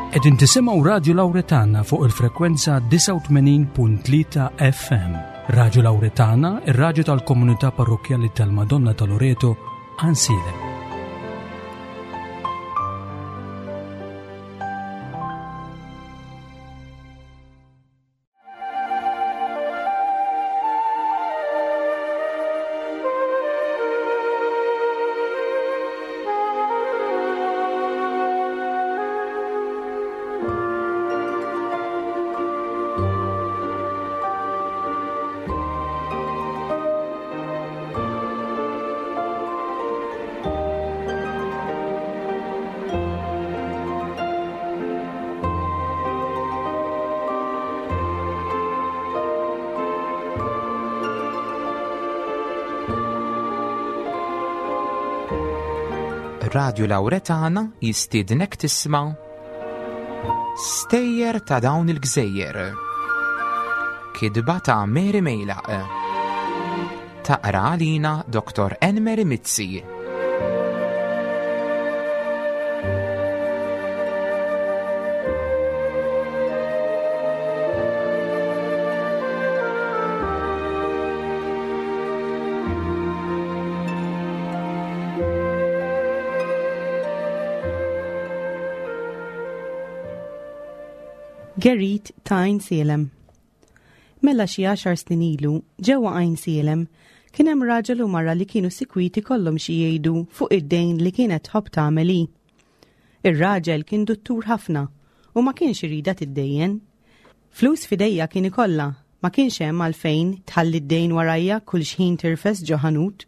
Qegħdin tisimgħu Radju Lawretana fuq il-frekwenza 89.3 FM. Radju Lawretana, ir-radju tal-komunità parrokkjali tal-Madonna ta' Loreto, Ansilem. Radju Lawretana jistiednek tisma' Stejjer ta' dawn il-gżejjer. Kidba ta' Mary Mejlaq. Taqra għalina Dr. Enmeri Mizzi. Gerit ta' Għajnsielem. Mela xi għaxar snin ilu, ġewwa Għajnsielem, kien hemm raġel u mara li kienu sikwit ikollhom xi jgħidu fuq id-dejn li kienet tħobb tagħmel hi. Ir-raġel kien duttur ħafna u ma kienx iridha tiddejjen. Flus f'idejja kien ikollha, ma kienx hemm għalfejn tħalli d-dejn warajja kull xħin tirfes ġo ħanut.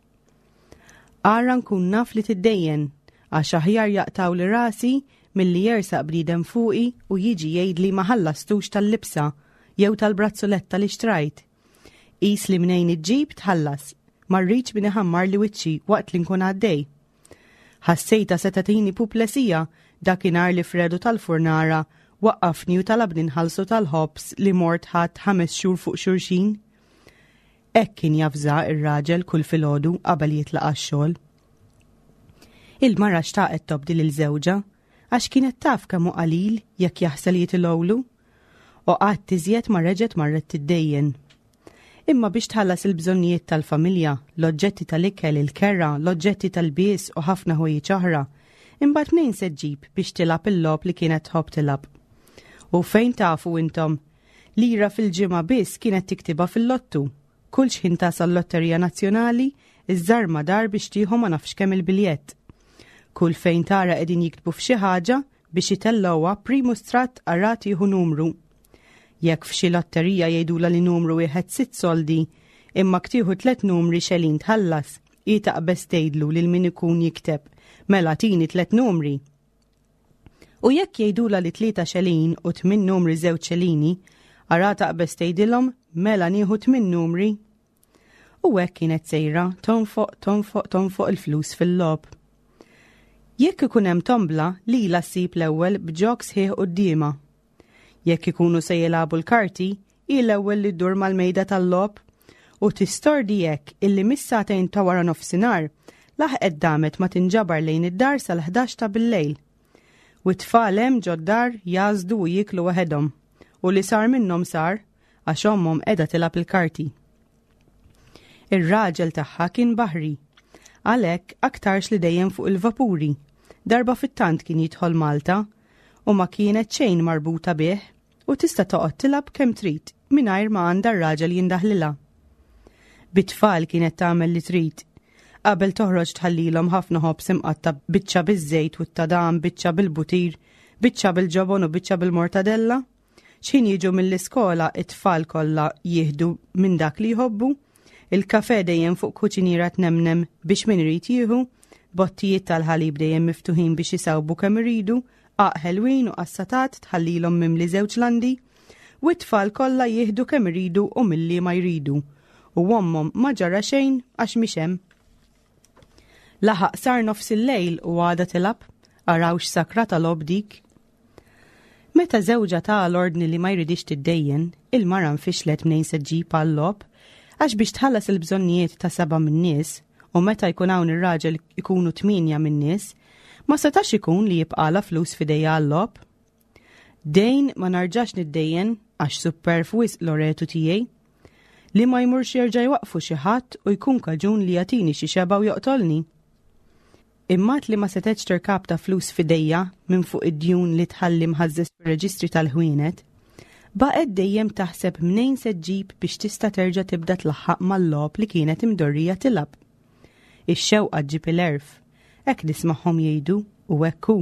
Ara nkun naf li tiddejjen, għax aħjar jaqtgħuli rasi milli jersaq bniedem fuqi u jiġi jgħidli ma ħallastux tal-libsa jew tal-brazzuletta li xtrajt. Qis li mnejn iġġib tħallas, ma rridx min iħammarli wiċċi waqt li nkun għaddej. Ħassejtha se tagħtini puplesija dakinhar li Fredu tal-furnara waqqafni u talabni nħallsu tal-ħobż li mort ħadt ħames xhur fuq xulxin. Hekk kien javża r-raġel kull filgħodu qabel jitlaq għax-xogħol. Il-mara xtaqet tobdi lil żewġha għax kienet taf kemm hu qalil jekk jaħsel jitilgħulu. U qatt iżjed ma reġgħet marret tiddejjen. Imma biex tħallas il-bżonnijiet tal-familja, l-oġġetti tal-ikel, il-kera, l-oġġetti tal-bies u ħafna ħwejjeġ oħra, imbagħad mnejn se ġġib biex tilgħab il-logħob li kienet tħobb tilgħab? U fejn tafu intom? Lira fil-ġimgħa biss kienet tiktibha fil-lottu. Kull xħin tasal lotterija nazzjonali, iżżarma dar biex tieħu ma nafx kemm il-biljett. Kull fejn tara qegħdin jiktbu f'xi ħaġa biex itellgħuha primu stratt ara tieħu numru. Jekk f'xi lotterija jgħidulha li numru wieħed sitt soldi, imma ktieħu tlet numri xelin tħallas, hi taqbeż tgħidlu lil min ikun jikteb, mela tini tlet numri. U jekk jgħidulha li tlieta xelin u tmien numri żewġ xelini, ara taqbeż tgħidilhom mela nieħu tmien numri. U hekk kienet sejra tonfoq, tonfoq, tonfoq il-flus fil-logħob. Jekk ikun hemm tombla, lilha ssib l-ewwel b'ġog sħiħ quddiemha. Jekk ikunu se jilagħbu l-karti, hi l-ewwel li ddur mal-mejda tal-logħob u tistordi hekk illi mis-sagħtejn ta' wara nofsinhar laħqet damet ma tinġabar lejn id-dar sal-ħdax ta' billejl. U t-tfal hemm ġod-dar jgħażdu u jieklu waħedhom u li sar minnhom sar għax ommhom qiegħda tilgħab il-karti. Ir-raġel tagħha kien baħri. Għalhekk aktarx li dejjem fuq il-vapuri. Darba fit-tant kien jidħol Malta u ma kienet xejn marbuta bih u tista' toqgħod tilgħab kemm trid mingħajr ma għandha r-raġel jindaħlilha. Bit-tfal kienet tagħmel li trid. Qabel toħroġ tħallilhom ħafna ħobż imqatta' biċċa biż-żejt u t-tadam, biċċa bil-butir, biċċa bil-ġobon u biċċa bil-mortadella. X'ħin jiġu mill-iskola it-tfal kollha jieħdu minn dak li jħobbu. Il-kafe dejjem fuq kuċiniera tnemnem biex min irid jieħu, bottijiet tal-ħalib dejjem miftuħin biex isawbu kemm iridu, qaq ħelwin u qassatat tħallilhom mimli żewġ landi, u t-tfal kollha jieħdu kemm iridu u milli ma jridu. U ommhom ma ġara xejn għax mhix hemm. Laħaq sar nofs il-lejl u għada tilgħab, araw x'sakra ta' logħob dik. Meta żewġha ta l-ordni li ma jridix tiddejjen, il-mara nfixlet mnejn se ġġib għal-logħob, għax biex tħallas il-bżonnijiet ta' seba' min-nies, u meta jkun hawn ir-raġel ikunu tmienja min-nies, ma setax ikun li jibqalha flus f'idejha għal-logħob. Dejn ma narġax niddejjen għax supperv wisq Loretu tiegħi. Li ma jmurx jerġa' jwaqqfu xi ħadd u jkun kaġun li jagħtini xi xebgħa u joqtolni. Imma li ma setgħetx tirkapta flus f'idejha minn fuq id-djun li tħalli mħażżeż fir-reġistri tal-ħwienet, baqgħet dejjem taħseb mnejn se ġġib biex tista' terġa' tibda tlaħħaq mal-logħob li kienet imdorrija tilgħab. Ix-xewqa ġġib il-għerf, hekk nismagħhom jgħidu u hekk hu.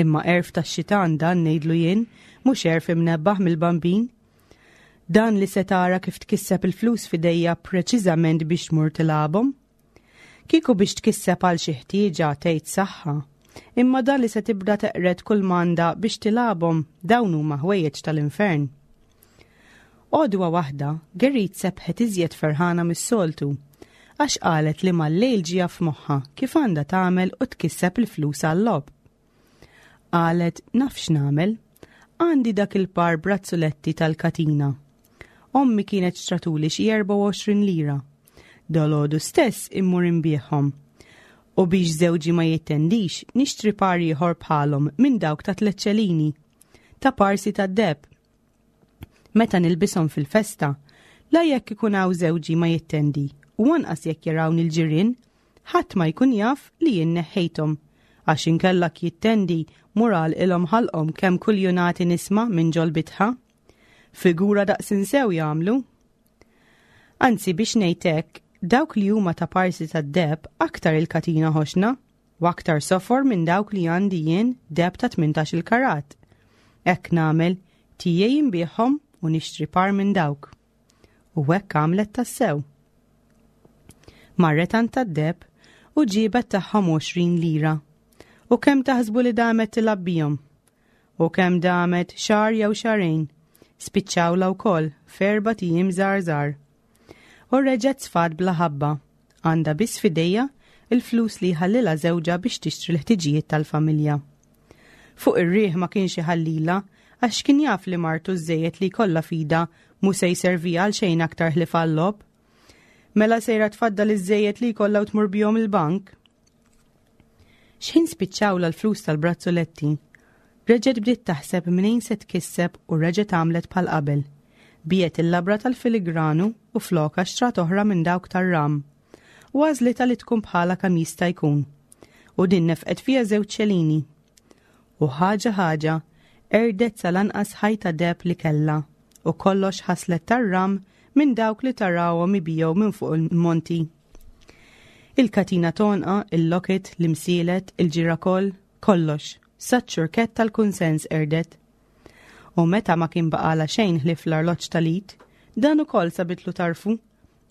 Imma għerf tax-xitan dan ngħidlu jien, mhux għerf imnebbaħ mill-Bambin. Dan li se tara kif tkisseb il-flus f'idejja preċiżament biex tmur tilgħabhom. Kieku biex tkisseb għal xi ħtieġa tgħid saħħa, imma dan li se tibda teqred kull m'għandha biex tilgħabhom dawn huma ħwejjeġ tal-infern. Għodwa waħda, Gerrit sebħet iżjed ferħana mis-soltu, għax qalet li mal-lejl ġieha f'moħħha kif għandha tagħmel u tkisseb il-flus għal-logħob. Qalet naf x'nagħmel, għandi dak il-par brazzuletti tal-katina. Ommi kienet xtratuli xi 24 lira. Dalgħodu stess immur inbiegħhom. U biex żewġi ma jittendix, nixtri par ieħor bħalhom minn dawk ta' tleċċelini. Ta' parsi tad-deheb. Meta nilbishom fil-festa, la jekk ikun hawn żewġi ma jittendi u anqas jekk jarawni l-ġirien, ħadd ma jkun jaf li jien neħħejthom. Għax inkella jittendi mur għalqilhom ħalqhom kemm kuljunati nisma' minn ġol-bitħa. Figura daqs insew jagħmlu. Anzi biex ngħid hekk, dawk li huma ta' parsi tad-deheb aktar il-katina ħoxna u aktar sofor minn dawk li għandi jien deheb ta' 18 il-karat. Hekk nagħmel, tiegħi inbiegħhom u nixtri par minn dawk. U hekk għamlet tassew. Marret għand tad-deheb u ġiebet tagħhom 20 lira. U kemm taħsbu li damet tilgħab bihom? U kemm damet xahar jew xahrejn, spiċċawlha wkoll f'erbat ijiem żgħar żgħar. U reġgħet sfat bla ħabba, għandha biss f'idejha l-flus li jħallilha żewġha biex tixtri l-ħtiġijiet tal-familja. Fuq ir-riħ ma kienx iħallilha għax kien jaf li martu ż-żejjed li jkollha f'idha mhu se jserviha għal xejn aktar ħlief għal-logħob. Mela sejra tfaddal iż-żejjed li jkollha u tmur bihom il-bank. X'ħin spiċċawlha l-flus tal-brazzuletti, reġgħet bdiet taħseb mnejn se tkisseb u reġgħet għamlet bħal qabel. Biegħet il-labra tal-filigranu u flokha xtrat oħra minn dawk tar-ram. U għażlitha li tkun bħalha kemm jista' jkun. U din nefqet fiha żewġ ċelini. U ħaġa ħaġa, qerdet sal-anqas ħajta deheb li kellha u kollox ħaslet tar-ram minn dawk li tarawhom ibigħu minn fuq il-monti. Il-katina tonqa, il-locket, l-imsielet, il-ġirakol, kollox, saċ-ċurkett tal-kunsens qerdet. U meta ma kien baqala xejn ħlief l-arloġġ tal-id, dan ukoll sabitlu tarfu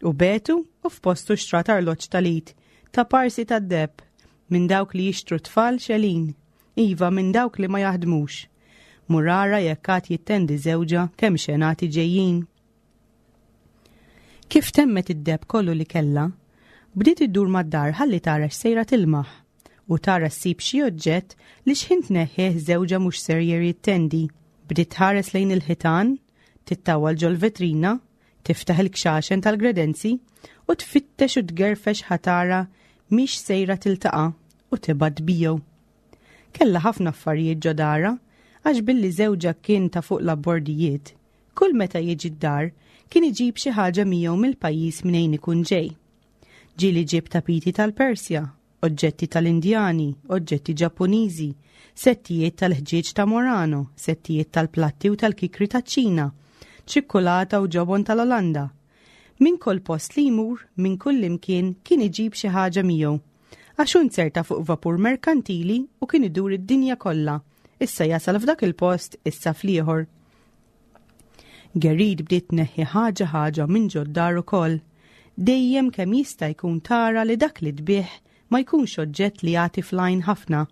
u betu u f'postu xtrat arloġġ tal-id ta' parsi tad-deheb minn dawk li jixtru tfal xelin, iva minn dawk li ma jaħdmux. Murara jekk għad jittendi żewġha kemm xenati ġejjin. Kif temmet id-deheb kollu li kellha, bdiet iddur mad-dar ħalli tara x'sejra tilmaħ u tara ssib xi oġġett li x'ħin tneħħih żewġha mhux serjer jittendi. Bdiet tħares lejn il-ħitan, tittawwal ġol-vetrina, tiftaħ il-kxaxen tal-gredenzi u tfittex u tgerfex ħa tara mhix sejra tiltaqa' u tibgħat tbigħu. Kellha ħafna affarijiet ġo darha għax billi żewġha kien ta' fuq l-abbordijiet, Kull meta jiġi d-dar, kien iġib xi ħaġa miegħu mill-pajjiż mnejn ikun ġej. Ġieli ġieb tapiti tal-Persja, oġġetti tal-Indjani, oġġetti Ġappuniżi, settijiet tal-ħġieġ ta' Murano, settijiet tal-platti u tal-kikri taċ-Ċina, ċikkulata u ġobon tal-Olanda. Minn kull post li jmur, minn kull imkien, kien iġib xi ħaġa miegħu. Għax hu nzerta fuq vapur merkantili u kien idur id-dinja kollha, issa jasal f'dak il-post, issa fl-ieħor. Gerrit bdiet tneħħi ħaġa ħaġa minn ġod-dar ukoll. Dejjem kemm jista' jkun tara li dak li tbigħ ma jkunx oġġett li jagħti fl-għajn ħafna.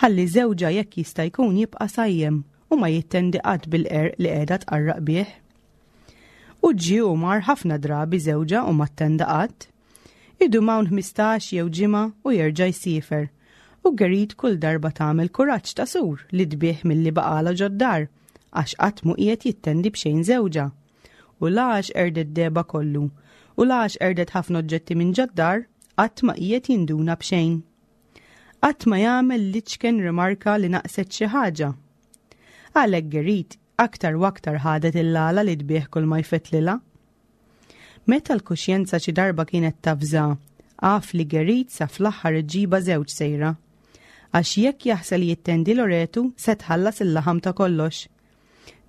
Ħalli żewġha jekk jista' jkun jibqa' sajjem u ma jittendi qatt bil-qerq li qiegħda tqarraq bih. U ġie u mar ħafna drabi żewġha u ma ttenda qatt. Idum hawn 15 jew ġimgħa u jerġa' jsiefer. U Gerrit kull darba tagħmel kuraġġ ta' sur li tbigħ milli baqgħalha ġod-dar. Għax qatt mhu qiegħed jittendi b'xejn żewġha. U la għax qerdet dehebha kollu, u la għax qerdet ħafna oġġetti minn ġod-dar, qatt ma qiegħed jinduna b'xejn. Qatt ma jagħmel l-iċken rimarka li naqset xi ħaġa. Għalhekk Gerit aktar u aktar ħadet il-għala li tbigħ kull ma jfettlilha. Meta l-kuxjenza xi darba kienet tavża, af li Gerit sa fl-aħħar iġġibha żewġ sejra. Għax jekk jaħsel jittendi Loretu se tħallas il-laħam ta' kollox.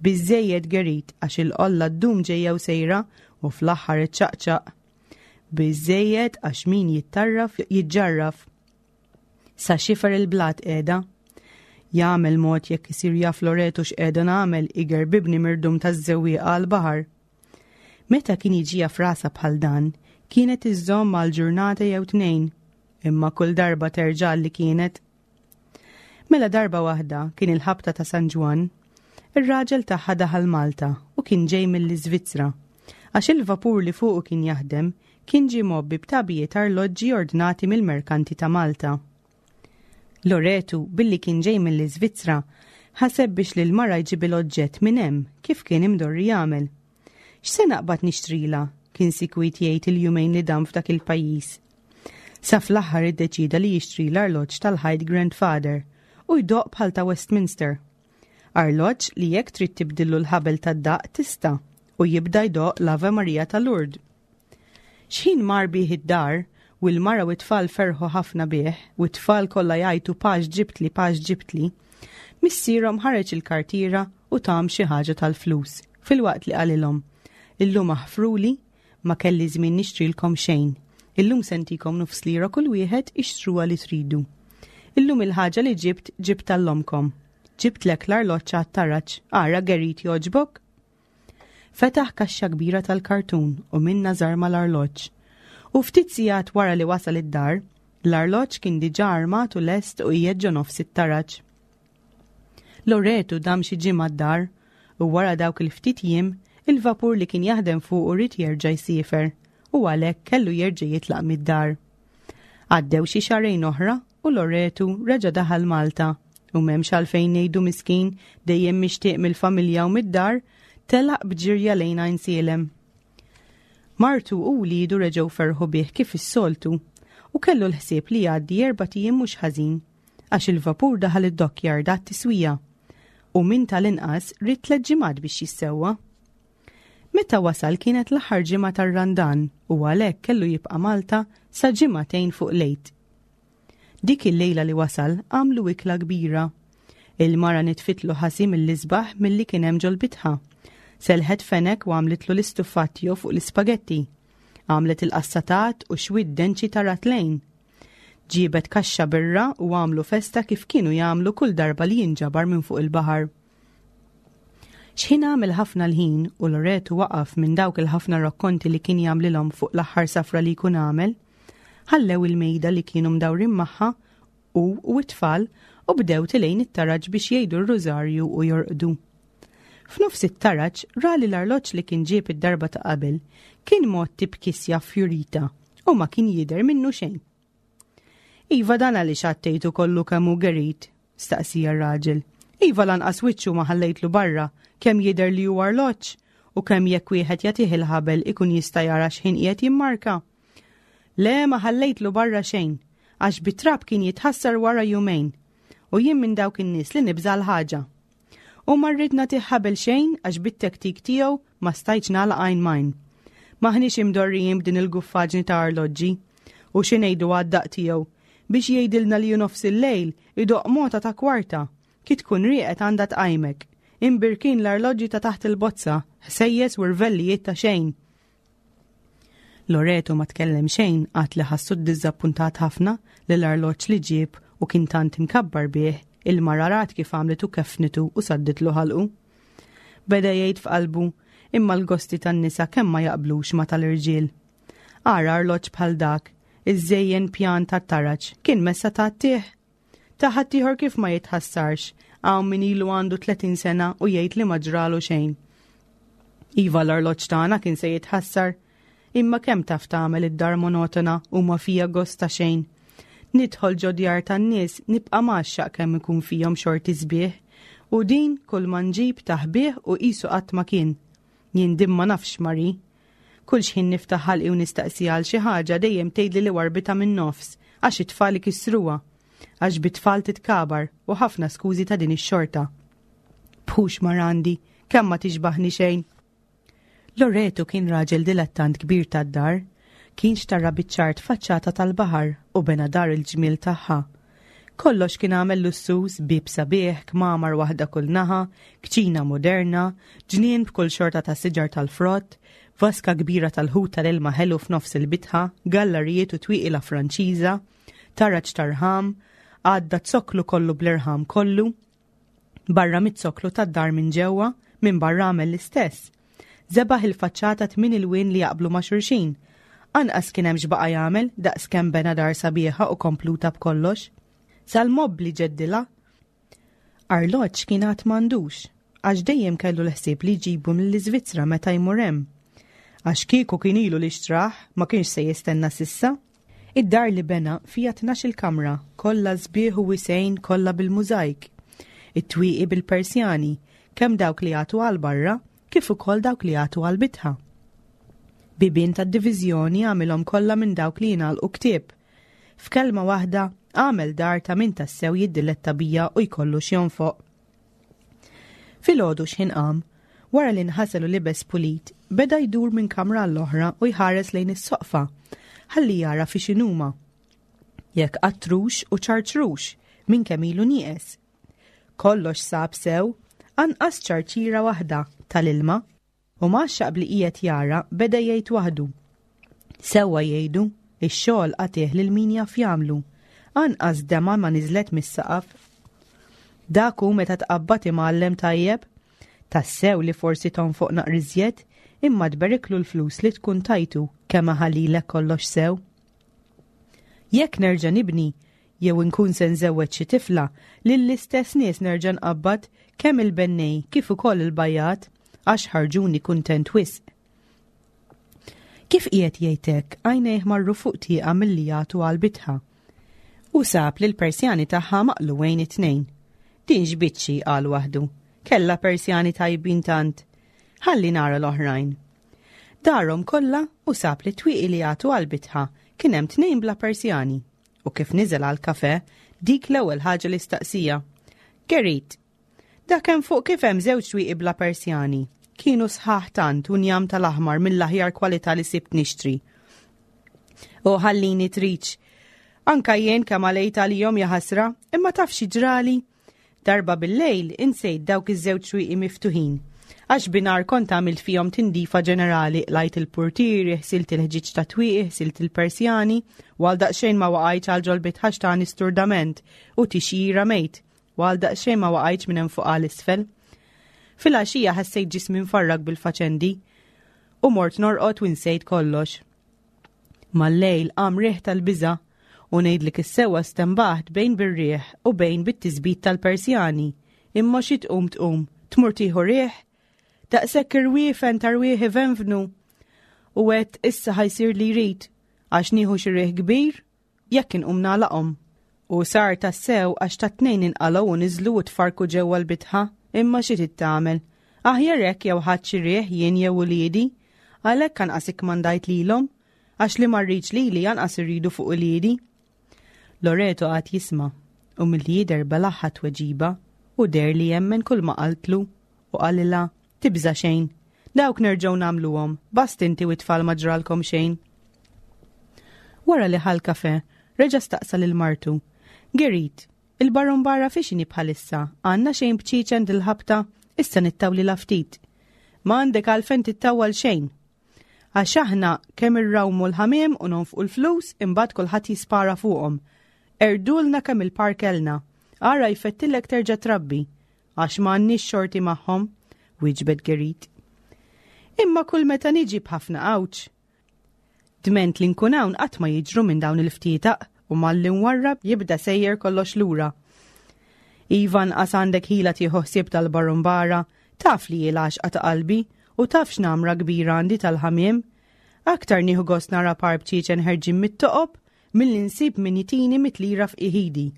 Biżżejjed Gerit għax il-qolla ddum ġejja u sejra u fl-aħħar iċċaqċaq. Biżżejjed għax min jittarraf jiġġarraf. Sa xifer il-blat qiegħda. Jagħmel mod jekk isir jaf Loretu x'qiegħda nagħmel igerbibni mirdum taż-żewwieqa għall-baħar. Meta kien jiġiha f'rasha bħal dan, kienet iżżomm għal ġurnata jew tnejn, imma kull darba terġa' li kienet. Mela darba waħda kien il-ħabta ta' San Ġwann, ir-raġel tagħha daħal Malta u kien ġej mill-Iżvizzra, għax il-vapur li fuqu kien jaħdem kien ġie mgħobbi b'tagħbijiet arloġġi ordnati mill-merkanti ta' Malta. Loretu, billi kien ġej mill-Iżvizzra, ħaseb biex lil mara jġibilha oġġett minn hemm, kif kien imdorri jagħmel. X'se naqbad nixtrilha? kien sikwit jgħid il-jumejn li dam f'dak il-pajjiż. Sa fl-aħħar iddeċieda li jixtri l-arloġġ tal-ħajt Grandfather u jdoqq bħal ta' Westminster. Arloġġ li jekk trid tibdillu l-ħabel tad-daqq tista' u jibda jdoqq l-Ave Maria ta' Lourdes. X'ħin mar bih id-dar, u l-mara u t-tfal ferħu ħafna bih, u t-tfal kollha jgħajtu pax ġibtli, pax ġibtli, missierhom ħareġ il-kartiera u tahom xi ħaġa tal-flus, filwaqt li qalilhom, Illum aħfruli, ma kelli żmien nixtrilkom xejn. Illum se ntikom nofs lira kull wieħed ixtruha li tridu. Illum il-ħaġa li ġibt ġibtha l-omkom. Ġibtlek l-arloġġ għat-taraġ, ara Gerrit jogħġbok? Fetaħ kaxxa kbira tal-kartun u minnha żarma l-arloġġ. U ftit sigħat wara li wasal id-dar, l-arloġġ kien diġà armat u lest u qiegħed ġo nofs it-taraġ. Loretu dam xi ġimgħa d-dar u wara dawk il-ftit jiem, il-vapur li kien jaħdem fuqu ried jerġa' jsiefer u għalhekk kellu jerġa' jitlaq mid-dar. Għaddew xi xahrejn oħra u Loretu reġa' daħal Malta u m'hemmx għalfejn ngħidu miskin dejjem mixtieq mill-familja u mid-dar, telaq b'ġirja lejn Għajnsielem. Martu u wliedu reġgħu ferħu bih kif is-soltu u kellu l-ħsieb li jgħaddi erbat ijiem mhux ħażin għax il-vapur daħal id-dockyard għat-tiswija u minn tal-inqas ried tliet ġimgħat biex jissewwa. Meta wasal kienet l-aħħar ġimgħa tar-Randan u għalhekk kellu jibqa' Malta sa ġimagħtejn fuq l-Għid. Dik il-lejla li wasal għamlu ikla kbira. Il-mara nitfitlu ħasi mill-isbaħ milli kien hemm ġol-bitħa. Selħet fenek u għamlitlu l-istuffat tiegħu fuq l-ispagetti. Għamlet il-qassatat u xwiet denċi ta' ratlejn. Ġiebet kaxxa birra u għamlu festa kif kienu jagħmlu kull darba li jinġabar minn fuq il-baħar. X'ħin għamel ħafna l-ħin u Loretu waqaf minn dawk il-ħafna rakkonti li kien jagħmlilhom fuq l-aħħar safra li jkun għamel, ħallew il-mejda li kienu mdawrin magħha hu u t-tfal u bdew tilejn it-taraġ biex jgħidu r-rużarju u jorqdu. F'nofs it-taraġ ra li l-arloġġ li kien ġieb id-darba ta' qabel kien mgħotti b'kisja fjurita u ma kien jidher minnu xejn. Iva dan għaliex għattejtu kollu kemm hu gerit, staqsija r-raġel. Iva lanqas wiċċu ma ħallejtlu barra, kemm jidher li hu arloġġ u kemm jekk wieħed jagħtih il-ħabel ikun jista' jara x'ħin qiegħed jimmarka. Le ma ħallejtlu barra xejn, għax bit-trab kien jitħassar wara jumejn. U jien minn dawk in-nies li nibża' l-ħaġa. U ma rrid nagħtih ħabel xejn għax bit-tektik tiegħu ma stajtx nagħlaq għajn m'għajn. M'aħniex imdorrijin b'din il-guffaġni ta' arloġġi. U xi ngħidu għad-daqq tiegħu? Biex jgħidilna li hu nofs il-lejl, idoqq mota ta' kwarta. Ki tkun rieqed għandha tqajmek. Imbirkin l-arloġġi ta' taħt il-bozza, ħsejjes u rvellijiet ta' xejn. Loreto ma tkellem xejn għad li ħassu ddiżappuntat ħafna li l-arloġġ li ġieb u kien tant imkabbar bih, il-mara rat kif għamlitu keffnitu u sadditlu ħalqu. Beda jgħid f'qalbu, imma l-gosti tan-nisa kemm ma jaqblux ma tal-irġiel. Ara arloġġ bħal dak, iżżejjen pjan tat-taraġ, kien messa tgħattih. Ta' ħaddieħor kif ma jitħassarx, hawn min ilu għandu 30 sena u jgħid li ma ġralu xejn. Iva l-arloġġ tagħna kien se jitħassar, imma kemm taf tagħmel id-dar monotona u ma fija gost ta' xejn. Nidħol ġo djar tan-nies nibqa' mgħaxxaq kemm ikun fihom xorti sbieħ, u din kull ma nġib taħbih u qisu qatt ma kien. Jien din ma nafx Mari. Kull xħin niftaħ ħalqi u nistaqsiha għal xi ħaġa dejjem tgħidli li warbitha min-nofs għax it-tfal ikissruha. Għax bit-tfal titkabar u ħafna skużi ta' din ix-xorta. Tixbħux marandi, kemm ma tixbaħni xejn. Loreto kien raġel dilettant kbir tad-dar. Kien xtarra biċ-ċart faċċata tal-baħar u bena dar il-ġmiel tagħha. Kollox kien għamel lussuż, bieb sabiħ, kmamar waħda kull naħa, kċina moderna, ġnien b'kull xorta ta' siġar tal-frott, vaska kbira tal-ħut tal-ilma ħelu f'nofs il-bitħa, gallerijiet u twieqi la Franċiża, taraġ ta' rħam, għadda zokklu kollu bl-irħam kollu, Barra miz-zokklu tad-dar minn ġewwa, minn barra għamel l-istess. Żebaħ il-faċċata tmin ilwien li jaqblu ma' xulxin. Anqas kien hemm x'baqa' jagħmel daqs kemm bena dar sabiħa u kompluta b'kollox. Sal-mobbli ġeddilha. Arloġġ kien għad m'għandux, għax dejjem kellu l-ħsieb li jġibu mill-Iżvizzra meta jmur hemm. Għax kieku kien ilu li xtrah, ma kienx se jistenna s'issa. Id-dar li bena fiha tnax-il kamra, kollha sbieħ u wisgħin kollha bil-mużajk. It-twieqi bil-persjani, kemm dawk li jagħtu għal barra kif ukoll dawk li jagħtu għall-bitħa. Bibien tad-diviżjoni għamilhom kollha minn dawk li jingħalqu ktieb. F'kelma waħda, għamel dar ta' min tassew jiddiletta bija u jkollu x'jonfoq. Filgħodu x'ħin qam, wara li nħasel u libes pulit, beda jdur minn kamra għall-oħra u jħares lejn is-soqfa, ħalli jara fi x'inhuma. Jekk qattrux u ċarċrux minn kemm ilu nieqes. Kollox sab sew, anqas ċarċira waħda tal-ilma. U mgħaxxaq b'li qiegħed jara, beda jgħid waħdu, Sewwa jgħidu, ix-xogħol agħtih lil min jaf jagħmlu. Anqas demgħa ma niżlet mis-saqaf. Dak hu meta tqabbad imgħallem tajjeb. Tassew li forsi tonfoq naqra iżjed, imma tberiklu l-flus li tkun tajtu kemm iħallilek kollox sew. Jekk nerġa' nibni, jew inkun se nżewweġ xi tifla, lill-istess nies nerġa' nqabbad kemm il-bennej kif ukoll il-bajjat għax ħarġuni kuntent wisq. Kif qiegħed jgħid hekk, għajnejh marru fuq tieqa milli jagħtu għal bitħa. U sab li l-persjani tagħha maqlugħin it-tnejn. Din x'biċċi qal waħdu. Kellha persjani tajbin tant. Ħalli nara l-oħrajn. Darhom kollha u sab li twieqi li jagħtu għal bitħa kien hemm tnejn bla persjani. U kif niżel għal kafe, dik l-ewwel ħaġa li staqsija. Gerit, dak hemm fuq kif hemm żewġ twieqi bla persjani. Kienu sħaħ tant u njam tal-aħmar mill-aħjar kwalità li sibt nixtri. U ħallini triċ. Anka jien kemm għalejt għalihom jaħasra, imma taf xi ġrali? Darba bil-lejl insejt dawk iż-żewġ twieqi miftuħin. Għax binar kont għamilt fihom tindifa ġenerali, qlajt il-purtieri, ħsilt il-ħġieġ ta' twieqi, ħsilt il-persjani, u għal daqsxejn ma waqajtx għal ġol bitħax tani sturdament u tixjira mejt, u għal daqsxejn ma waqajtx minn hemm fuq għal isfel. Filgħaxija ħassejt ġismi mfarrak bil-faċendi u mort norqod u nsejt kollox. Mal-lejl qam riħ tal-biża' u ngħidlek is-sewwa stenbaħt bejn bir-riħ u bejn bit-tisbit tal-Persjani. Imma xi tqum tqum, tmur tieħu riħ? Daqshekk irwiefen ta' rwieħ ivenvnu. U għedt issa ħa jsir li jrid, għax nieħu xi riħ kbir jekk inqum nagħlaqhom. U sar tassew għax tat-tnejn inqalgħu u niżlu u tfarrku ġewwa l-bitħa, imma xi trid tagħmel? Aħjar hekk jew ħadt xi riħ jien jew uliedi. Għalhekk anqas ikkmandajt lilhom, għax li ma rridx lili anqas irridu fuq uliedi. Loreto qagħad jisma' u milli jidher belagħha t-tweġiba u deher li jemmen kull ma qaltlu u qalilha, Tibża' xejn. Dawk nerġgħu nagħmluhom, bast inti u t-tfal ma ġralkom xejn. Wara li ħa l-kafè, reġa' staqsa lil martu, Gerit, il-barumbara fiex inhi bħalissa, għandna xejn bċieċen dil-ħabta, issa nittawlilha ftit. Ma għandek għalfejn tittawwal xejn. Għax aħna kemm irrawmu l-ħamiem u nonfqu l-flus imbagħad kulħadd jispara fuqhom. Qerdulna kemm il-par kellna. Ara jfettillek terġa' trabbi. Għax ma għandniex xorti magħhom, wieġbet Gerit. Imma kull meta niġi b'ħafna għawġ. Dment li nkun hawn qatt ma jiġru minn dawn il-ftietaq u malli nwarrab jibda sejjer kollox lura. Iva nqas għandek ħila tieħu ħsieb tal-barumbara, taf li hi l-għaxqa ta' qalbi u taf x'namra kbira għandi tal-ħamiem. Aktar nieħu gost nara par bċieċen ħerġin mit-toqob milli nsib min jtini mit-lira f'qiegħ idi.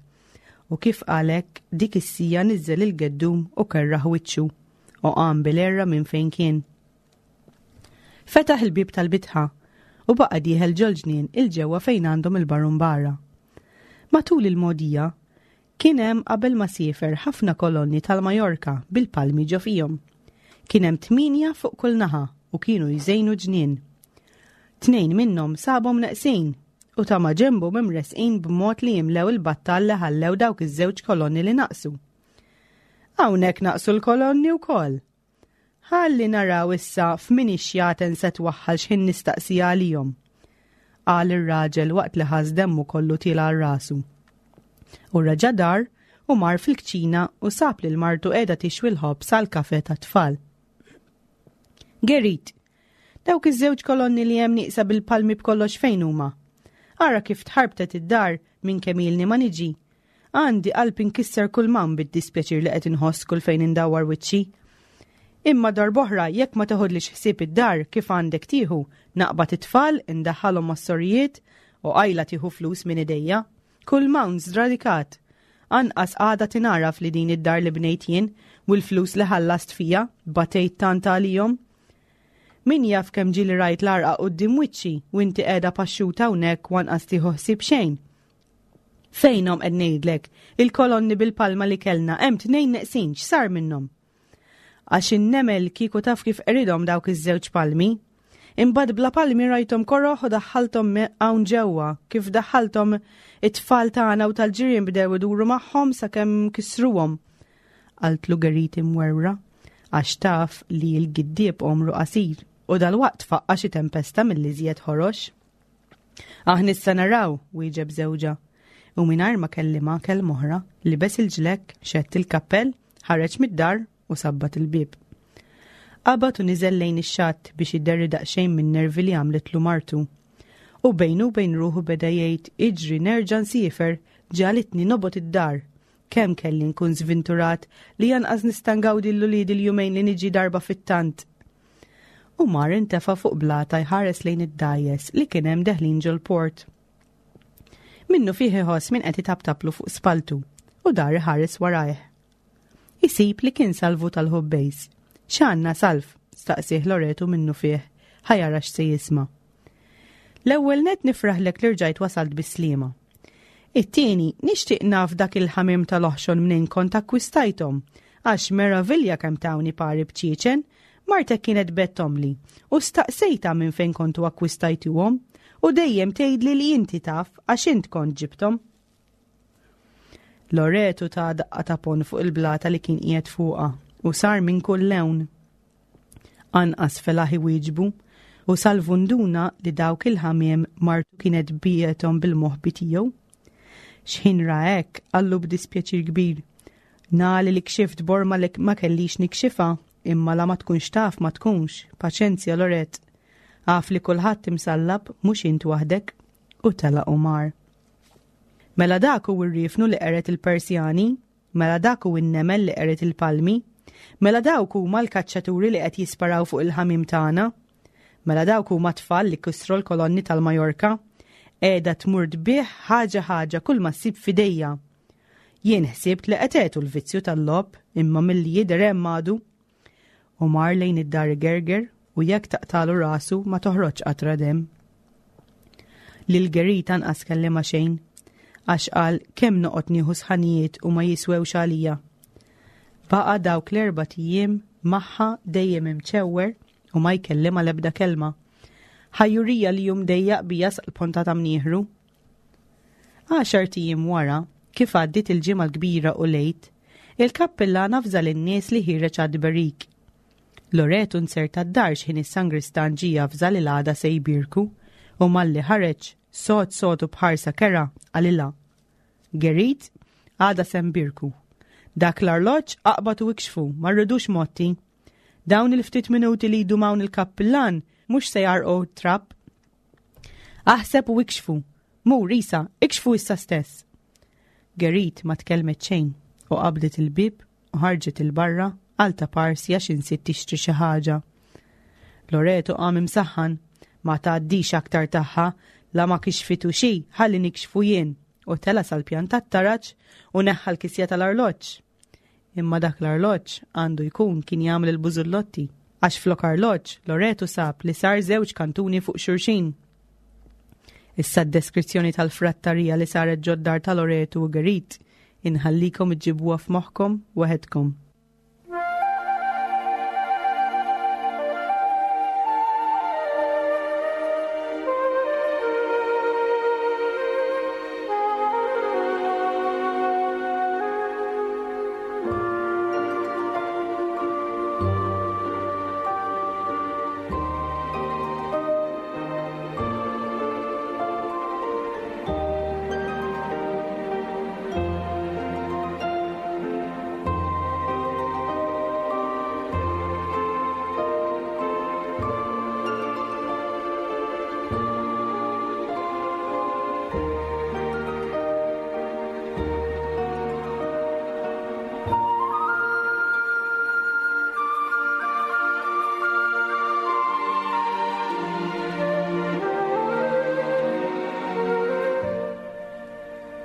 U kif qal hekk, dik is-sija niżżel il-geddum u kerraħ wiċċu, u qam bil-għerra minn fejn kien. Fetaħ il-bieb tal-bitħa u baqa' dieħel ġol-ġnien 'il ġewwa fejn għandhom il-barumbara. Matul il-mogħdija, Kien hemm qabel ma siefer ħafna kolonni tal-Majorka bil-palmi ġo fihom. Kien hemm tmienja fuq kull naħa u kienu jżejnu ġnien. Tnejn minnhom sabhom neqsin u ta' maġenbhom imressqin b'mod li jimlew il-battal li ħallew dawk iż-żewġ kolonni li naqsu. Hawnhekk naqsu l-kolonni wkoll. Ħalli naraw issa f'min ix-xjaten se twaħħal x'ħin nistaqsiha għalihom. Qal ir-raġel waqt li ħass demmu kollu tiela' għal rasu. U reġa' dar u mar fil-kċina u sab lil martu qiegħda tixwi l-ħobż għall-kafe tat-tfal. Gerit, dawk iż-żewġ kolonni li hemm nieqsa bil-palmi b'kollox fejn huma? Ara kif tħarbtet id-dar minn kemm ilni ma niġi. Għandi qalb inkisser kull m'hawn bid-dispjaċir li qed inħoss kull fejn indawwar wiċċi. Imma darb'oħra jekk ma teħodlix ħsieb id-dar kif għandek tieħu, naqbad it-tfal, indaħħalhom mas-sorijiet u qajla tieħu flus minn idejja. Kull m'hawn żradikat. Anqas għada tingħaraf li din id-dar li bnejt jien u l-flus li ħallast fija, batejt tant għalihom. Min jaf kemm ġieli rajt l-għarqa quddiem wiċċi u inti qiegħda paxxuta hawnhekk u anqas tieħu ħsieb xejn. Fejnhom qed ngħidlek, il-kolonni bil-palma li kellna hemm tnejn neqsin x'sar minnhom? Għax in-nemel kieku taf kif qridhom dawk iż-żewġ palmi. Imbagħad bla palmi rajthom koroħ u daħħalthom hawn ġewwa, kif daħħalthom it-tfal tagħna u tal-ġirien bdew iduru magħhom sakemm kisruhom. Qaltlu Geriti mwerwra, għax taf li l-giddieb għomru qasir u dalwaqt faqqa xi tempesta mill-iżjed ħorox. Aħna issa naraw, wieġeb żewġha. U mingħajr ma kellimha kelma oħra, libes il-ġlekk, xedd il-kappell, ħareġ mid-dar u sabbat il-bieb. Qabad u niżel lejn ix-xatt biex iderri daqsxejn min-nervi li għamlitlu martu. U bejnu u bejn ruħu beda jgħid iġri nerġa' nsiefer, ġagħlitni nobgħod id-dar. Kemm kelli nkun żvinturat li anqas nista' ngawdi l-uliedi l-jumejn li niġi darba fit-tant. U mar intefa' fuq blata jħares lejn id-dgħajjes li kien hemm deħlin ġol-port. Minnu fih iħoss min qed itaptaplu fuq spaltu u dar iħares warajh. Isib li kien Salvu tal-Ħubbejs. X'għandna Salv? staqsieh Loretu minnu fih, ħa jara x'se jisma'. L-ewwel nett nifraħlek li rġajt wasalt bis-sliema. It-tieni, nixtieq naf dak il-ħamiem tal-oħxon mnejn kont akkwistajthom, għax meravilja kemm tawni pari bċieċen, martek kienet bettomli, u staqsejtha minn fejn kontu akkwistajtuhom, u dejjem tgħidli li inti taf għax int kont ġibthom. Loretu ta daqqa ta' pon fuq il-blata li kien qiegħed fuqha u sar minn kull lewn. Anqas felaħ iwieġbu u Salvu nduna li dawk il-ħamiem martu kienet biegħethom bil-moħbi tiegħu. X'ħin ra hekk, qallu b'dispjaċir kbir, Nali li kxift borma li ma kellix nikxifha, imma la ma tkunx taf ma tkunx, paċenzja Loret. Af li kulħadd imsallab, mhux int waħdek. U telaq u mar. Mela dak hu r-riefnu li qered il-Persjani, Mela dak hu n-nemel li qered il-palmi? Mela dawk huma l-kaċċaturi li qed jisparaw fuq il-ħamiem tagħna? Mela dawk huma t-tfal li kisru l-kolonni tal-Majorka? Qiegħda tmur tbigħ ħaġa ħaġa kull ma ssib f'idejja. Jien ħsibt li qed l-vizzju tal-logħob imma milli jidher hemm għadu. U mar lejn id-dar igerger u jekk taqtalu rasu ma toħroġ qatra demm. Lil Gerit anqas kellimha xejn, għax qal kemm noqgħod nieħu sħanijiet u ma jiswewx għalija. Baqa' dawk l-erbat ijiem magħha dejjem imċewwer u ma jkellimha l-ebda kelma. Ħajjurija li hu mdejjaq bija sal-ponta ta' mnieħru. Għaxart ijiem wara, kif għaddiet il-Ġimgħa l-Kbira u l-Għid, il-kappillan avża lin-nies li ħiereġ għat-tberik. Loreto nzerta d-dar x'ħin is-sangristan ġie javża li l-għada se jbierku u malli ħareġ, sod sod u b'ħarsa kerha, qalilha, Gerit, għada se nbierku. Dak l-arloġġ aqbad u ikxfu, ma rridux motti. Dawn il-ftit minuti li jdum hawn il-kappillan mhux se jgħarrqu t-trab. Aħseb u ikxfu. Mur, Isa, ikxfu issa stess. Gerit ma tkellmet xejn u qabdet il-bieb u ħarġet 'il barra għal ta' parsi għax insiet tixtri xi ħaġa. Loreto qam imsaħħan, ma tgħaddix aktar tagħha, la ma kixfitu xi, ħalli nikxfu jien, u tela' sal-pjan tat-taraġ u neħħa l-kisja tal-arloġġ. Imma dak l-arloġġ għandu jkun kien jagħmel il-bużullotti, għax flok arloġġ Loreto sab li sar żewġ kantuni fuq xulxin. Issa d-deskrizzjoni tal-frattarija li saret ġod-dar ta' Loreto u Gerit. Inħallikom iġġibuha f'moħħkom waħedkom.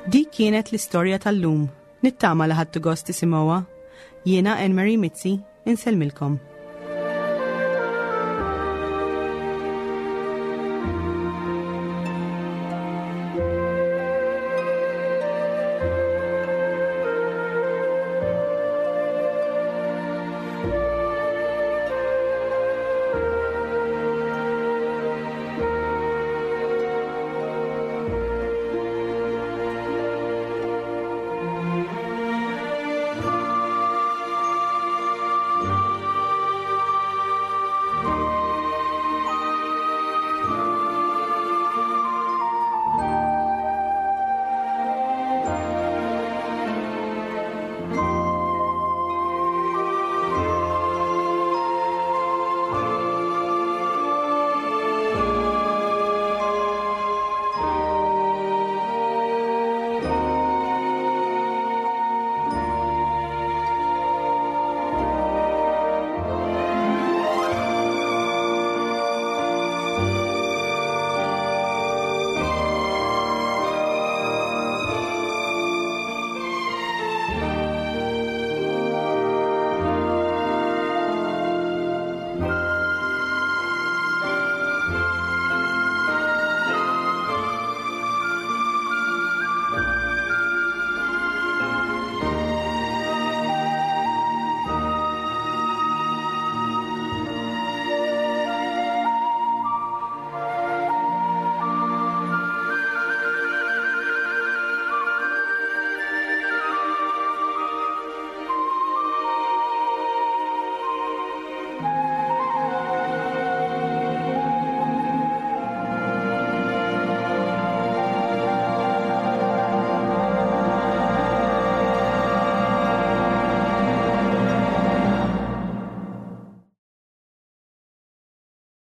Dik kienet l-istorja tal-lum. Nittama li ħadtu gost tisimgħuha. Jiena Anne Marie Mizzi, insellmilkom.